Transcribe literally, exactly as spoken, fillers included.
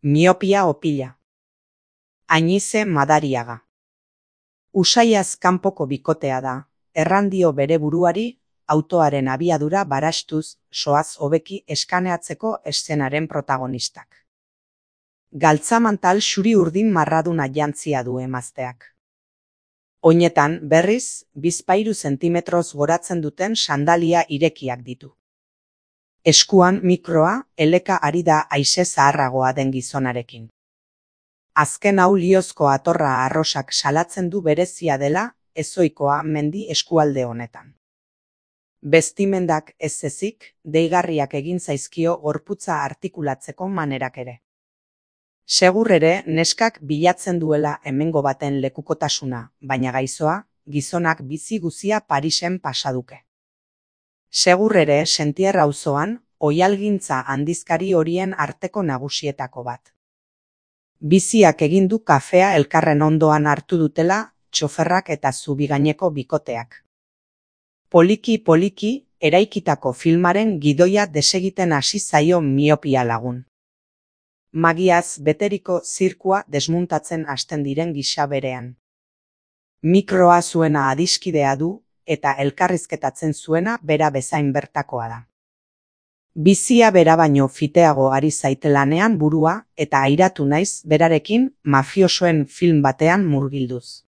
Miopia opila. Añize Madariaga. Usaiaz kanpoko bikotea da, errandio bere buruari, autoaren abiadura barastuz soaz hobeki eskaneatzeko eszenaren protagonistak. Galtzamantal xuri urdin marraduna jantzia du emazteak. Oinetan, berriz, bizpahiru zentimetroz goratzen duten sandalia irekiak ditu. Eskuan mikroa, eleka ari da haize zaharragoa den gizonarekin. Azken hau liozko atorra arrosak salatzen du berezia dela, ezoikoa mendi eskualde honetan. Bestimendak ez ezik, deigarriak egin zaizkio gorputza artikulatzeko manerak ere. Segur ere, neskak bilatzen duela hemengo baten lekukotasuna, baina gaizoa, gizonak bizi guzia Parisen pasaduke. Segur ere, Sentier auzoan, oihalgintza handizkari horien arteko nagusietako bat. Biziak egin du kafea elkarren ondoan hartu dutela, txoferrak eta zubigaineko bikoteak. Poliki-poliki, eraikitako filmaren gidoia desegiten hasi zaio miopia lagun. Magiaz beteriko zirkua desmuntatzen hasten diren gisa berean. Mikroa zuena adiskidea du, eta elkarrizketatzen zuena bera bezain bertakoa da. Bizia bera baino fiteago ari zaitelanean burua eta airatu naiz berarekin mafiosoen film batean murgilduz.